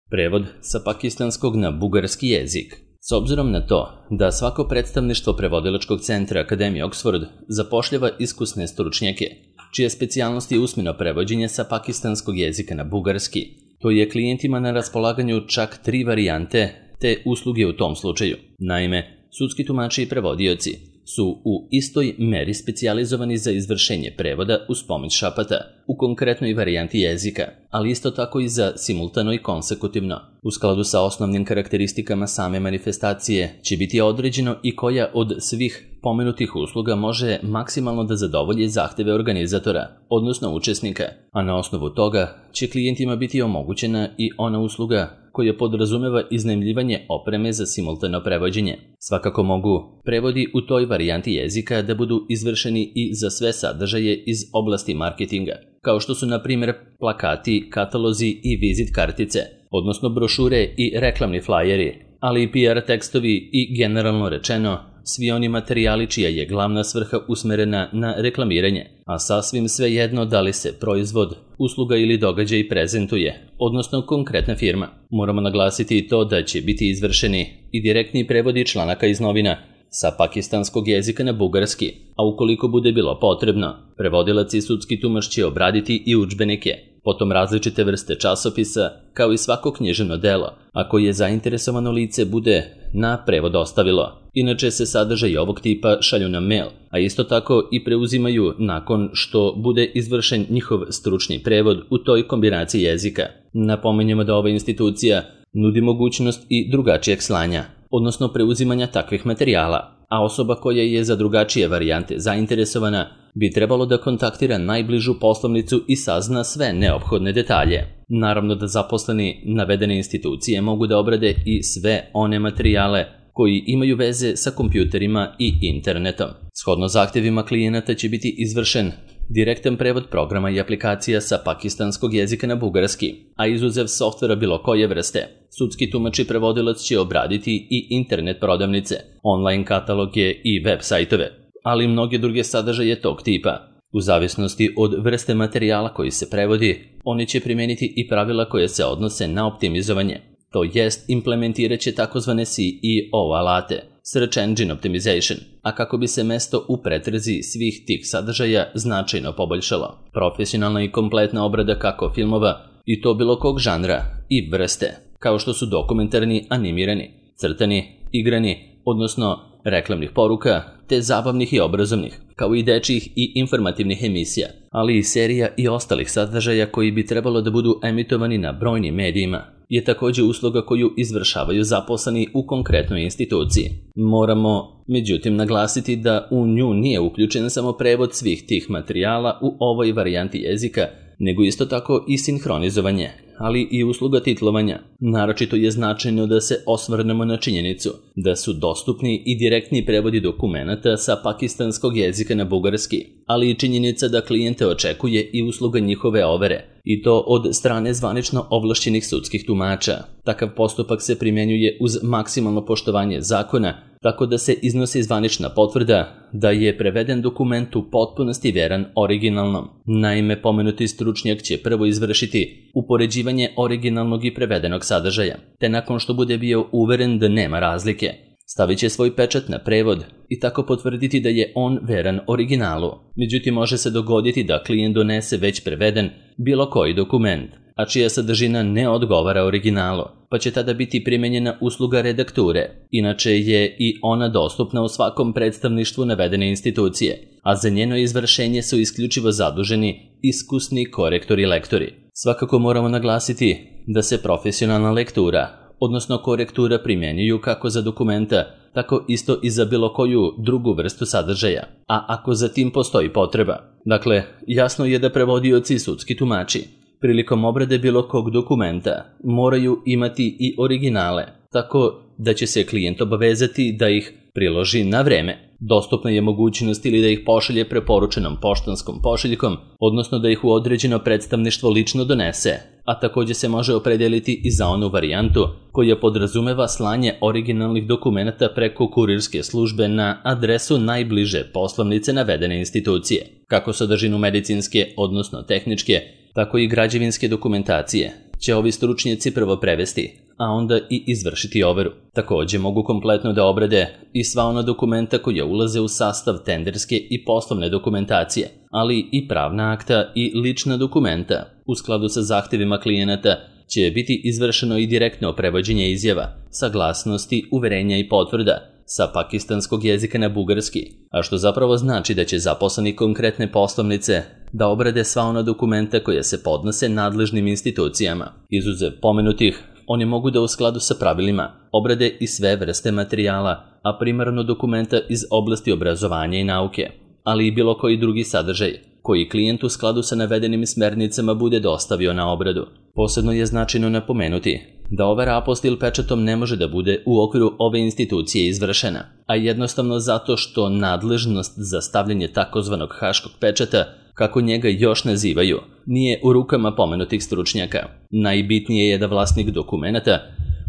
Prevod sa pakistanskog na bugarski jezik. S obzirom na to da svako predstavništvo prevodilačkog centra Akademije Oxford zapošljava iskusne stručnjake, čija specijalnost je usmeno prevođenje sa pakistanskog jezika na bugarski, to je klijentima na raspolaganju čak 3 varijante te usluge u tom slučaju. Naime, sudski tumači i prevodioci su u istoj meri specijalizovani za izvršenje prevoda uz pomoć šapata u konkretnoj varijanti jezika, ali isto tako i za simultano i konsekutivno. U skladu sa osnovnim karakteristikama same manifestacije će biti određeno i koja od svih pomenutih usluga može maksimalno da zadovolji zahteve organizatora, odnosno učesnika, a na osnovu toga će klijentima biti omogućena i ona usluga koja podrazumeva iznajmljivanje opreme za simultano prevođenje. Svakako mogu prevodi u toj varijanti jezika da budu izvršeni i za sve sadržaje iz oblasti marketinga, kao što su na primjer plakati, katalozi i vizit kartice, odnosno brošure i reklamni flajeri, ali i PR tekstovi i generalno rečeno svi oni materijali čija je glavna svrha usmerena na reklamiranje, a sasvim svejedno da li se proizvod, usluga ili događaj prezentuje, odnosno konkretna firma. Moramo naglasiti i to da će biti izvršeni i direktni prevodi članaka iz novina sa pakistanskog jezika na bugarski, a ukoliko bude bilo potrebno, prevodilac i sudski tumač će obraditi i udžbenike, potom različite vrste časopisa, kao i svako književno delo, ako je zainteresovano lice bude na prevod ostavilo. Inače se sadržaji ovog tipa šalju na mail, a isto tako i preuzimaju nakon što bude izvršen njihov stručni prevod u toj kombinaciji jezika. Napominjemo da ova institucija nudi mogućnost i drugačijeg slanja, odnosno preuzimanja takvih materijala, a osoba koja je za drugačije varijante zainteresovana bi trebalo da kontaktira najbližu poslovnicu i sazna sve neophodne detalje. Naravno da zaposleni navedene institucije mogu da obrade i sve one materijale koji imaju veze sa kompjuterima i internetom. Shodno zahtjevima klijenata će biti izvršen direktan prevod programa i aplikacija sa pakistanskog jezika na bugarski, a izuzev softvera bilo koje vrste. Sudski tumač i prevodilac će obraditi i internet prodavnice, online kataloge i web sajtove, ali i mnoge druge sadržaje tog tipa. U zavisnosti od vrste materijala koji se prevodi, oni će primijeniti i pravila koje se odnose na optimizovanje, to jest implementirat će takozvane SEO alate, Search Engine Optimization, a kako bi se mesto u pretrazi svih tih sadržaja značajno poboljšalo. Profesionalna i kompletna obrada kako filmova, i to bilo kog žanra i vrste, kao što su dokumentarni, animirani, crtani, igrani, odnosno reklamnih poruka, te zabavnih i obrazovnih, kao i dečjih i informativnih emisija, ali i serija i ostalih sadržaja koji bi trebalo da budu emitovani na brojnim medijima, je također usluga koju izvršavaju zaposleni u konkretnoj instituciji. Moramo, međutim, naglasiti da u nju nije uključen samo prevod svih tih materijala u ovoj varijanti jezika, nego isto tako i sinhronizovanje, ali i usluga titlovanja. Naročito je značajno da se osvrnemo na činjenicu da su dostupni i direktni prevodi dokumenata sa pakistanskog jezika na bugarski, ali i činjenica da klijente očekuje i usluga njihove overe, i to od strane zvanično ovlašćenih sudskih tumača. Takav postupak se primjenjuje uz maksimalno poštovanje zakona, tako da se iznosi zvanična potvrda da je preveden dokument u potpunosti veran originalnom. Naime, pomenuti stručnjak će prvo izvršiti upoređivanje originalnog i prevedenog sadržaja, te nakon što bude bio uveren da nema razlike, stavit će svoj pečat na prevod i tako potvrditi da je on veran originalu. Međutim, može se dogoditi da klijent donese već preveden bilo koji dokument, a čija sadržina ne odgovara originalu, pa će tada biti primijenjena usluga redakture. Inače je i ona dostupna u svakom predstavništvu navedene institucije, a za njeno izvršenje su isključivo zaduženi iskusni korektori i lektori. Svakako moramo naglasiti da se profesionalna lektura, odnosno korektura primjenjuju kako za dokumenta, tako isto i za bilo koju drugu vrstu sadržaja, a ako za tim postoji potreba. Dakle, jasno je da prevodioci i sudski tumači prilikom obrade bilo kog dokumenta moraju imati i originale, tako da će se klijent obavezati da ih priloži na vreme. Dostupna je mogućnost ili da ih pošalje preporučenom poštanskom pošiljkom, odnosno da ih u određeno predstavništvo lično donese, a također se može opredijeliti i za onu varijantu koja podrazumeva slanje originalnih dokumenata preko kurirske službe na adresu najbliže poslovnice navedene institucije. Kako sadržinu medicinske, odnosno tehničke, tako i građevinske dokumentacije će ovi stručnjaci prvo prevesti, a onda i izvršiti overu. Takođe mogu kompletno da obrade i sva ona dokumenta koja ulaze u sastav tenderske i poslovne dokumentacije, ali i pravna akta i lična dokumenta. U skladu sa zahtevima klijenata će biti izvršeno i direktno prevođenje izjava, saglasnosti, uverenja i potvrda sa pakistanskog jezika na bugarski, a što zapravo znači da će zaposleni konkretne poslovnice da obrade sva ona dokumenta koja se podnose nadležnim institucijama. Izuzev pomenutih, oni mogu da u skladu sa pravilima obrade i sve vrste materijala, a primarno dokumenta iz oblasti obrazovanja i nauke, ali i bilo koji drugi sadržaj koji klijent u skladu sa navedenim smernicama bude dostavio na obradu. Posebno je značajno napomenuti da overa apostil pečatom ne može da bude u okviru ove institucije izvršena, a jednostavno zato što nadležnost za stavljanje takozvanog haškog pečata, kako njega još nazivaju, nije u rukama pomenutih stručnjaka. Najbitnije je da vlasnik dokumenata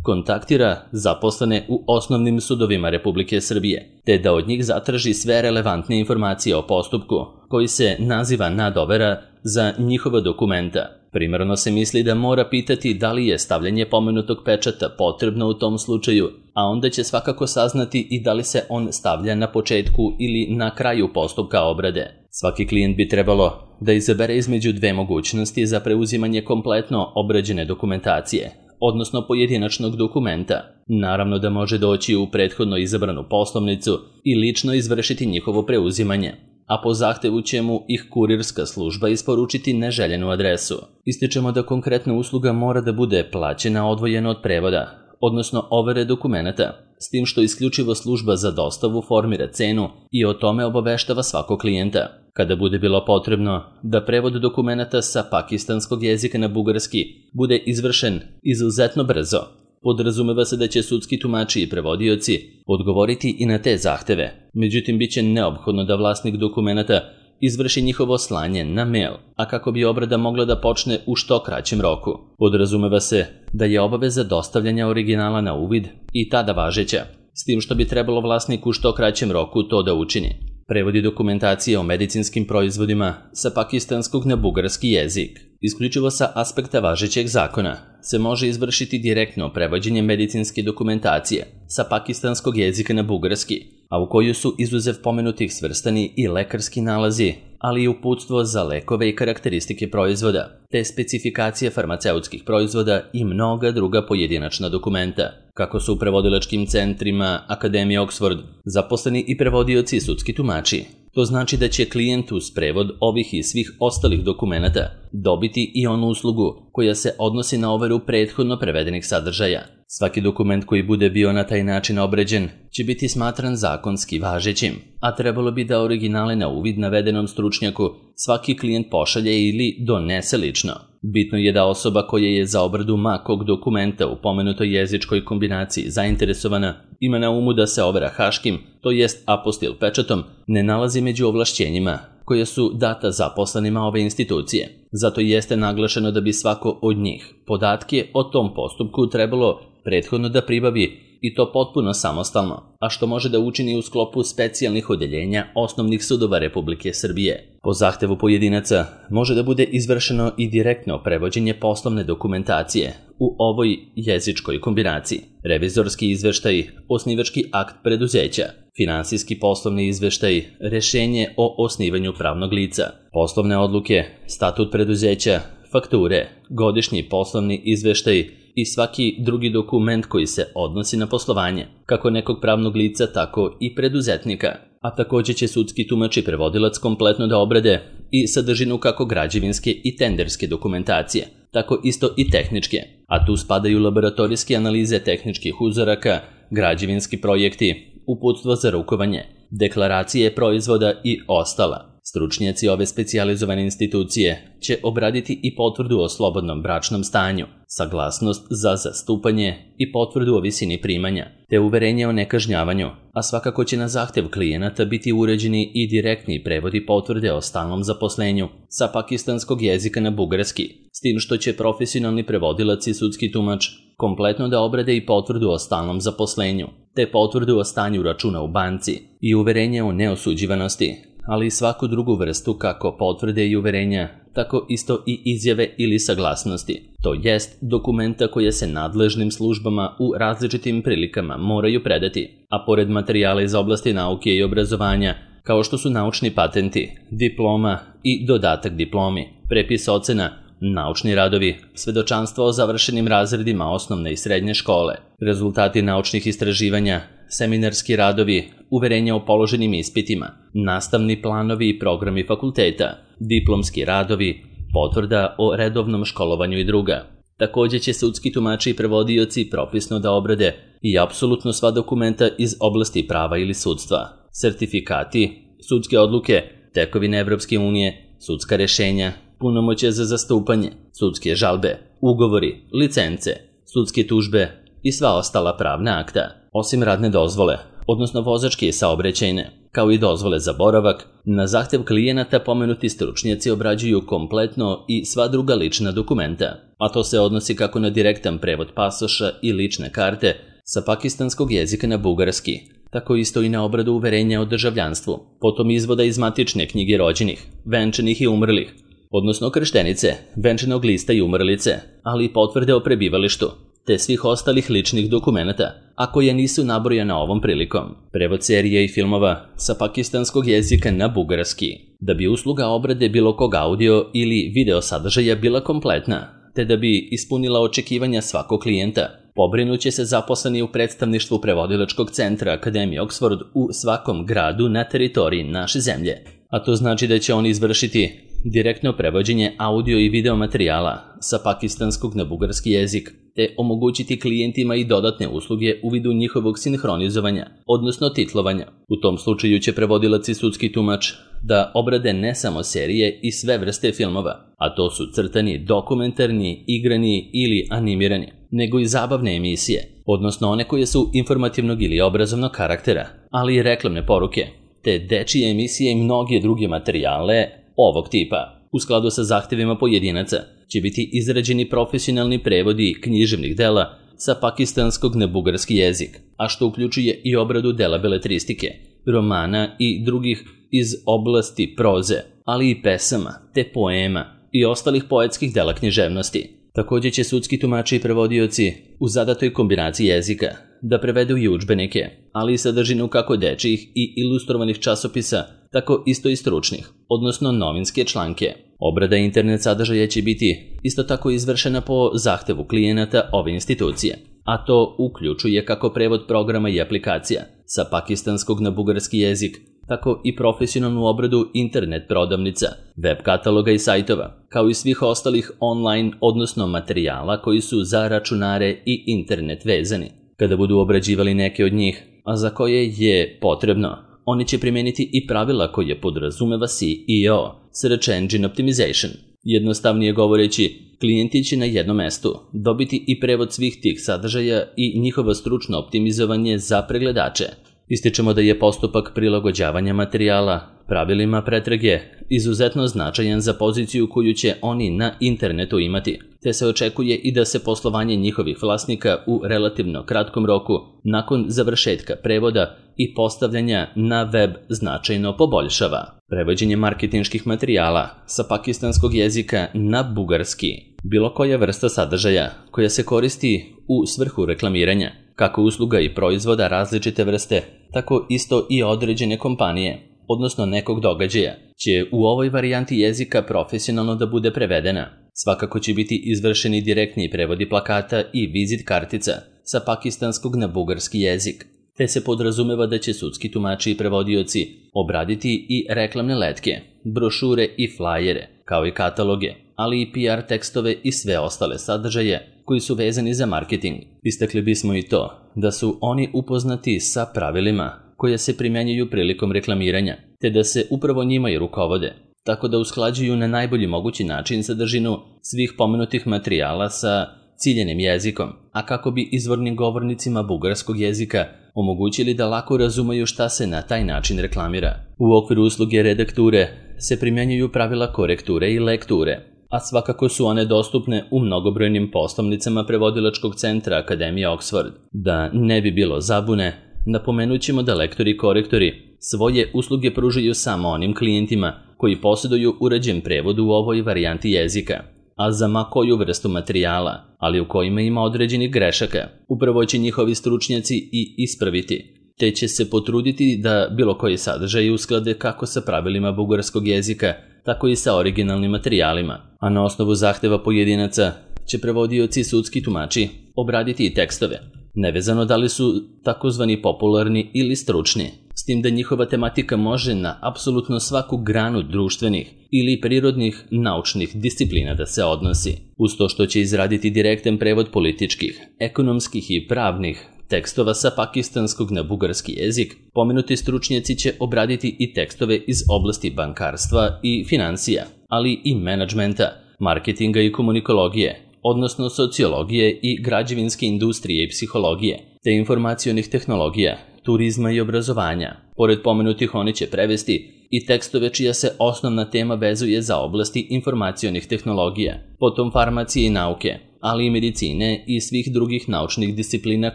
kontaktira zaposlene u osnovnim sudovima Republike Srbije, te da od njih zatraži sve relevantne informacije o postupku, koji se naziva nadovera za njihova dokumenta. Primarno se misli da mora pitati da li je stavljanje pomenutog pečata potrebno u tom slučaju, a onda će svakako saznati i da li se on stavlja na početku ili na kraju postupka obrade. Svaki klijent bi trebalo da izabere između dve mogućnosti za preuzimanje kompletno obrađene dokumentacije, odnosno pojedinačnog dokumenta. Naravno da može doći u prethodno izabranu poslovnicu i lično izvršiti njihovo preuzimanje, a po zahtevu će mu ih kurirska služba isporučiti neželjenu adresu. Ističemo da konkretna usluga mora da bude plaćena odvojeno od prevoda, odnosno overe dokumenata, s tim što isključivo služba za dostavu formira cenu i o tome obaveštava svakog klijenta. Kada bude bilo potrebno da prevod dokumenata sa pakistanskog jezika na bugarski bude izvršen izuzetno brzo, podrazumeva se da će sudski tumači i prevodioci odgovoriti i na te zahteve. Međutim, bit će neophodno da vlasnik dokumenata izvrši njihovo slanje na mail, a kako bi obrada mogla da počne u što kraćem roku. Podrazumeva se da je obaveza dostavljanja originala na uvid i tada važeća, s tim što bi trebalo vlasniku u što kraćem roku to da učini. Prevodi dokumentacije o medicinskim proizvodima sa pakistanskog na bugarski jezik. Isključivo sa aspekta važećeg zakona se može izvršiti direktno prevođenje medicinske dokumentacije sa pakistanskog jezika na bugarski, a u koju su izuzev pomenutih svrstani i lekarski nalazi, ali i uputstvo za lekove i karakteristike proizvoda, te specifikacije farmaceutskih proizvoda i mnoga druga pojedinačna dokumenta. Kako su u prevodilačkim centrima Akademije Oxford zaposleni i prevodioci i sudski tumači, to znači da će klijent uz prevod ovih i svih ostalih dokumenata dobiti i onu uslugu koja se odnosi na overu prethodno prevedenih sadržaja. Svaki dokument koji bude bio na taj način obrađen će biti smatran zakonski važećim, a trebalo bi da originale na uvid navedenom stručnjaku svaki klijent pošalje ili donese lično. Bitno je da osoba koja je za obradu makog dokumenta u pomenutoj jezičkoj kombinaciji zainteresovana ima na umu da se overa haškim, to jest apostil pečatom, ne nalazi među ovlašćenjima koja su data zaposlenima ove institucije. Zato jeste naglašeno da bi svako od njih podatke o tom postupku trebalo prethodno da pribavi i to potpuno samostalno, a što može da učini u sklopu specijalnih odeljenja osnovnih sudova Republike Srbije. Po zahtevu pojedinaca može da bude izvršeno i direktno prevođenje poslovne dokumentacije u ovoj jezičkoj kombinaciji. Revizorski izveštaj, osnivački akt preduzeća, finansijski poslovni izveštaj, rešenje o osnivanju pravnog lica, poslovne odluke, statut preduzeća, fakture, godišnji poslovni izveštaj i svaki drugi dokument koji se odnosi na poslovanje, kako nekog pravnog lica, tako i preduzetnika. A takođe će sudski tumač i prevodilac kompletno da obrade i sadržinu kako građevinske i tenderske dokumentacije, tako isto i tehničke, a tu spadaju laboratorijske analize tehničkih uzoraka, građevinski projekti, uputstvo za rukovanje, deklaracije proizvoda i ostala. Stručnjaci ove specijalizovane institucije će obraditi i potvrdu o slobodnom bračnom stanju, saglasnost za zastupanje i potvrdu o visini primanja, te uverenje o nekažnjavanju, a svakako će na zahtev klijenata biti uređeni i direktni prevodi potvrde o stalnom zaposlenju sa pakistanskog jezika na bugarski, s tim što će profesionalni prevodilac i sudski tumač kompletno da obrade i potvrdu o stalnom zaposlenju, te potvrdu o stanju računa u banci i uverenje o neosuđivanosti, ali i svaku drugu vrstu kako potvrde i uverenja tako isto i izjave ili saglasnosti, to jest dokumenta koje se nadležnim službama u različitim prilikama moraju predati, a pored materijala iz oblasti nauke i obrazovanja, kao što su naučni patenti, diploma i dodatak diplomi, prepis ocena, naučni radovi, svedočanstva o završenim razredima osnovne i srednje škole, rezultati naučnih istraživanja, seminarski radovi, uverenja o položenim ispitima, nastavni planovi i programi fakulteta, diplomski radovi, potvrda o redovnom školovanju i druga. Također će sudski tumači i prevodioci propisno da obrade i apsolutno sva dokumenta iz oblasti prava ili sudstva, sertifikati, sudske odluke, tekovine Evropske unije, sudska rešenja, punomoćje za zastupanje, sudske žalbe, ugovori, licence, sudske tužbe i sva ostala pravna akta, osim radne dozvole, odnosno vozačke i saobraćajne, kao i dozvole za boravak. Na zahtev klijenata pomenuti stručnjaci obrađuju kompletno i sva druga lična dokumenta, a to se odnosi kako na direktan prevod pasoša i lične karte sa pakistanskog jezika na bugarski, tako isto i na obradu uverenja o državljanstvu, potom izvoda iz matične knjige rođenih, venčanih i umrlih, odnosno krštenice, venčanog lista i umrlice, ali i potvrde o prebivalištu, te svih ostalih ličnih dokumenata, a koje nisu nabrojana ovom prilikom. Prevod serije i filmova sa pakistanskog jezika na bugarski, da bi usluga obrade bilo kog audio ili video sadržaja bila kompletna, te da bi ispunila očekivanja svakog klijenta, pobrinuće se zaposleni u predstavništvu prevodilačkog centra Akademije Oxford u svakom gradu na teritoriji naše zemlje. A to znači da će oni izvršiti direktno prevođenje audio i video materijala sa pakistanskog na bugarski jezik, te omogućiti klijentima i dodatne usluge u vidu njihovog sinhronizovanja, odnosno titlovanja. U tom slučaju će prevodilac i sudski tumač da obrade ne samo serije i sve vrste filmova, a to su crtani, dokumentarni, igrani ili animirani, nego i zabavne emisije, odnosno one koje su informativnog ili obrazovnog karaktera, ali i reklamne poruke, te dečije emisije i mnoge druge materijale ovog tipa. U skladu sa zahtevima pojedinaca će biti izrađeni profesionalni prevodi književnih dela sa pakistanskog na bugarski jezik, a što uključuje i obradu dela beletristike, romana i drugih iz oblasti proze, ali i pesama, te poema i ostalih poetskih dela književnosti. Također će sudski tumači i prevodioci u zadatoj kombinaciji jezika da prevedu i udžbenike, ali i sadržinu kako dečijih i ilustrovanih časopisa, tako isto i stručnih, odnosno novinske članke. Obrada internet sadržaja će biti isto tako izvršena po zahtevu klijenata ove institucije, a to uključuje kako prevod programa i aplikacija sa pakistanskog na bugarski jezik, tako i profesionalnu obradu internet prodavnica, web kataloga i sajtova, kao i svih ostalih online, odnosno materijala koji su za računare i internet vezani. Kada budu obrađivali neke od njih, a za koje je potrebno, oni će primijeniti i pravila koje podrazumeva SEO, Search Engine Optimization. Jednostavnije govoreći, klijenti će na jednom mestu dobiti i prevod svih tih sadržaja i njihovo stručno optimizovanje za pregledače. Ističemo da je postupak prilagođavanja materijala pravilima pretrage izuzetno značajan za poziciju koju će oni na internetu imati, te se očekuje i da se poslovanje njihovih vlasnika u relativno kratkom roku nakon završetka prevoda i postavljanja na web značajno poboljšava. Prevođenje marketinških materijala sa pakistanskog jezika na bugarski, bilo koja vrsta sadržaja koja se koristi u svrhu reklamiranja, kako usluga i proizvoda različite vrste, tako isto i određene kompanije, odnosno nekog događaja, će u ovoj varijanti jezika profesionalno da bude prevedena. Svakako će biti izvršeni direktni prevodi plakata i vizit kartica sa pakistanskog na bugarski jezik, te se podrazumeva da će sudski tumači i prevodioci obraditi i reklamne letke, brošure i flajere, kao i kataloge, ali i PR tekstove i sve ostale sadržaje koji su vezani za marketing. Istakli bismo i to da su oni upoznati sa pravilima koje se primjenjuju prilikom reklamiranja, te da se upravo njima i rukovode, tako da usklađuju na najbolji mogući način sadržinu svih pomenutih materijala sa ciljenim jezikom, a kako bi izvornim govornicima bugarskog jezika omogućili da lako razumeju šta se na taj način reklamira. U okviru usluge redakture se primjenjuju pravila korekture i lekture, a svakako su one dostupne u mnogobrojnim poslovnicama prevodilačkog centra Akademije Oxford. Da ne bi bilo zabune, napomenut ćemo da lektori i korektori svoje usluge pružaju samo onim klijentima koji posjeduju uređen prevod u ovoj varijanti jezika, a za ma koju vrstu materijala, ali u kojima ima određenih grešaka, upravo će njihovi stručnjaci i ispraviti, te će se potruditi da bilo koji sadržaj usklade kako sa pravilima bugarskog jezika, tako i sa originalnim materijalima, a na osnovu zahteva pojedinaca će prevodioci i sudski tumači obraditi i tekstove, nevezano da li su takozvani popularni ili stručni, s tim da njihova tematika može na apsolutno svaku granu društvenih ili prirodnih naučnih disciplina da se odnosi, uz to što će izraditi direktan prevod političkih, ekonomskih i pravnih tekstova sa pakistanskog na bugarski jezik. Pomenuti stručnjaci će obraditi i tekstove iz oblasti bankarstva i financija, ali i menadžmenta, marketinga i komunikologije, odnosno sociologije i građevinske industrije i psihologije, te informacionih tehnologija, turizma i obrazovanja. Pored pomenutih oni će prevesti i tekstove čija se osnovna tema vezuje za oblasti informacionih tehnologija, potom farmacije i nauke, ali i medicine i svih drugih naučnih disciplina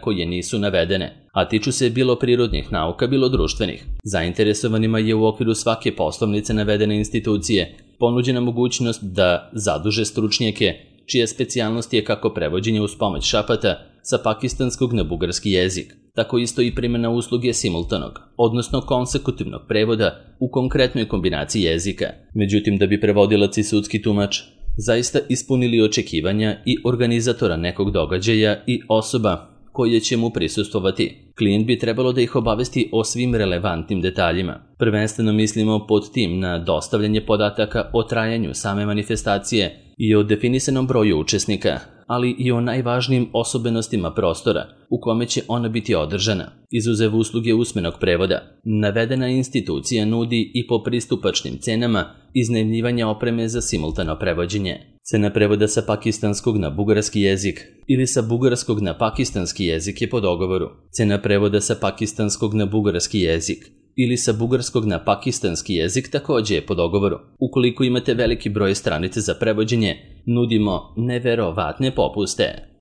koje nisu navedene, a tiču se bilo prirodnih nauka, bilo društvenih. Zainteresovanima je u okviru svake poslovnice navedene institucije ponuđena mogućnost da zaduže stručnjake čija specijalnost je kako prevođenje uz pomoć šapata sa pakistanskog na bugarski jezik, tako isto i primjena usluge simultanog, odnosno konsekutivnog prevoda u konkretnoj kombinaciji jezika. Međutim, da bi prevodilac i sudski tumač zaista ispunili očekivanja i organizatora nekog događaja i osoba koje će mu prisustvovati, klijent bi trebalo da ih obavesti o svim relevantnim detaljima. Prvenstveno mislimo pod tim na dostavljanje podataka o trajanju same manifestacije i o definisanom broju učesnika, ali i o najvažnijim osobenostima prostora u kome će ona biti održana. Izuzev usluge usmenog prevoda, navedena institucija nudi i po pristupačnim cenama iznajmljivanja opreme za simultano prevođenje. Cena prevoda sa pakistanskog na bugarski jezik ili sa bugarskog na pakistanski jezik je po dogovoru. Cena prevoda sa pakistanskog na bugarski jezik ili sa bugarskog na pakistanski jezik također je po dogovoru. Ukoliko imate veliki broj stranica za prevođenje, nudimo neverovatne popuste.